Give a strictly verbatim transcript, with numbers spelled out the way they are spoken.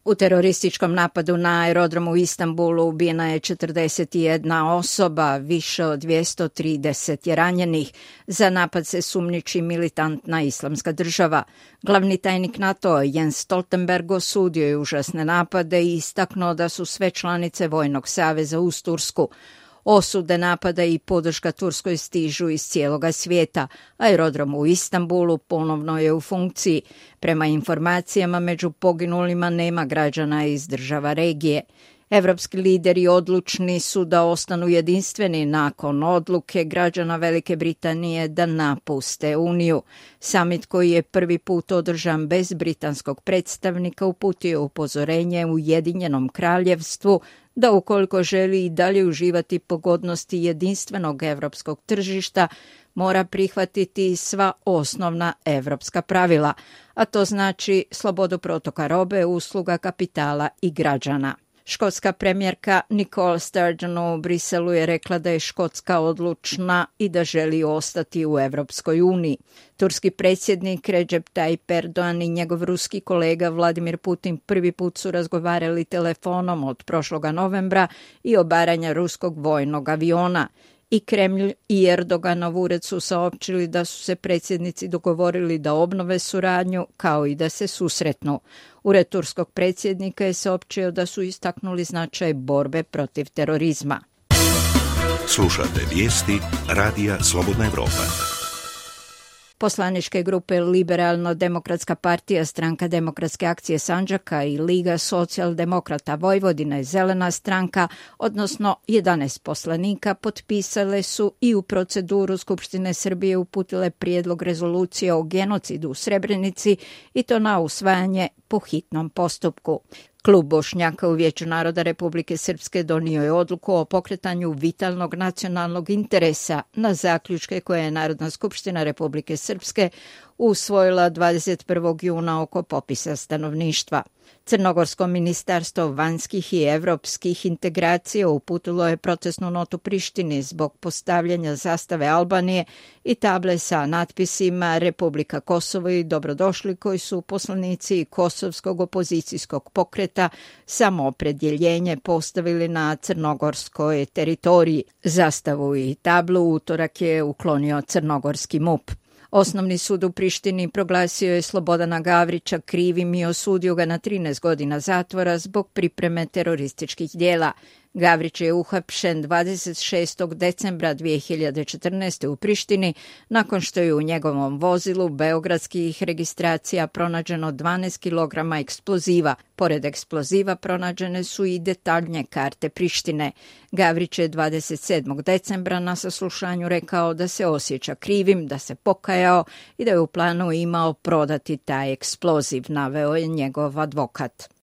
U terorističkom napadu na aerodromu u Istanbulu ubijena je četrdeset jedna osoba, više od dvjesto trideset je ranjenih. Za napad se sumnjiči militantna islamska država. Glavni tajnik NATO Jens Stoltenberg osudio je užasne napade i istaknuo da su sve članice Vojnog saveza uz Tursku. Osude napada i podrška Turskoj stižu iz cijeloga svijeta. Aerodrom u Istanbulu ponovno je u funkciji. Prema informacijama, među poginulima nema građana iz država regije. Evropski lideri odlučni su da ostanu jedinstveni nakon odluke građana Velike Britanije da napuste Uniju. Samit koji je prvi put održan bez britanskog predstavnika uputio upozorenje Ujedinjenom kraljevstvu da ukoliko želi i dalje uživati pogodnosti jedinstvenog evropskog tržišta, mora prihvatiti sva osnovna evropska pravila, a to znači slobodu protoka robe, usluga, kapitala i građana. Škotska premijerka Nicola Sturgeon u Briselu je rekla da je Škotska odlučna i da želi ostati u Evropskoj uniji. Turski predsjednik Recep Tayyip Erdogan i njegov ruski kolega Vladimir Putin prvi put su razgovarali telefonom od prošloga novembra i obaranja ruskog vojnog aviona. I Kremlj i Erdoganov ured su saopćili da su se predsjednici dogovorili da obnove suradnju kao i da se susretnu. Ured turskog predsjednika je saopćio da su istaknuli značaj borbe protiv terorizma. Slušate vijesti Radija Slobodna Evropa. Poslaničke grupe Liberalno-demokratska partija, Stranka demokratske akcije Sandžaka i Liga socijaldemokrata Vojvodina i Zelena stranka, odnosno jedanaest poslanika, potpisale su i u proceduru Skupštine Srbije uputile prijedlog rezolucije o genocidu u Srebrenici i to na usvajanje po hitnom postupku. Klub Bošnjaka u Vijeću naroda Republike Srpske donio je odluku o pokretanju vitalnog nacionalnog interesa na zaključke koje je Narodna skupština Republike Srpske usvojila dvadeset prvog juna oko popisa stanovništva. Crnogorsko ministarstvo vanjskih i evropskih integracija uputilo je protestnu notu Prištini zbog postavljanja zastave Albanije i table sa natpisima Republika Kosovo i dobrodošli, koji su poslanici kosovskog opozicijskog pokreta Samoopredjeljenje postavili na crnogorskoj teritoriji. Zastavu i tablu utorak je uklonio crnogorski MUP. Osnovni sud u Prištini proglasio je Slobodana Gavrića krivim i osudio ga na trinaest godina zatvora zbog pripreme terorističkih djela. Gavrić je uhapšen dvadeset šestog decembra dvije hiljade četrnaeste. u Prištini nakon što je u njegovom vozilu beogradskih registracija pronađeno dvanaest kilograma eksploziva. Pored eksploziva pronađene su i detaljne karte Prištine. Gavrić je dvadeset sedmog decembra na saslušanju rekao da se osjeća krivim, da se pokajao i da je u planu imao prodati taj eksploziv, naveo je njegov advokat.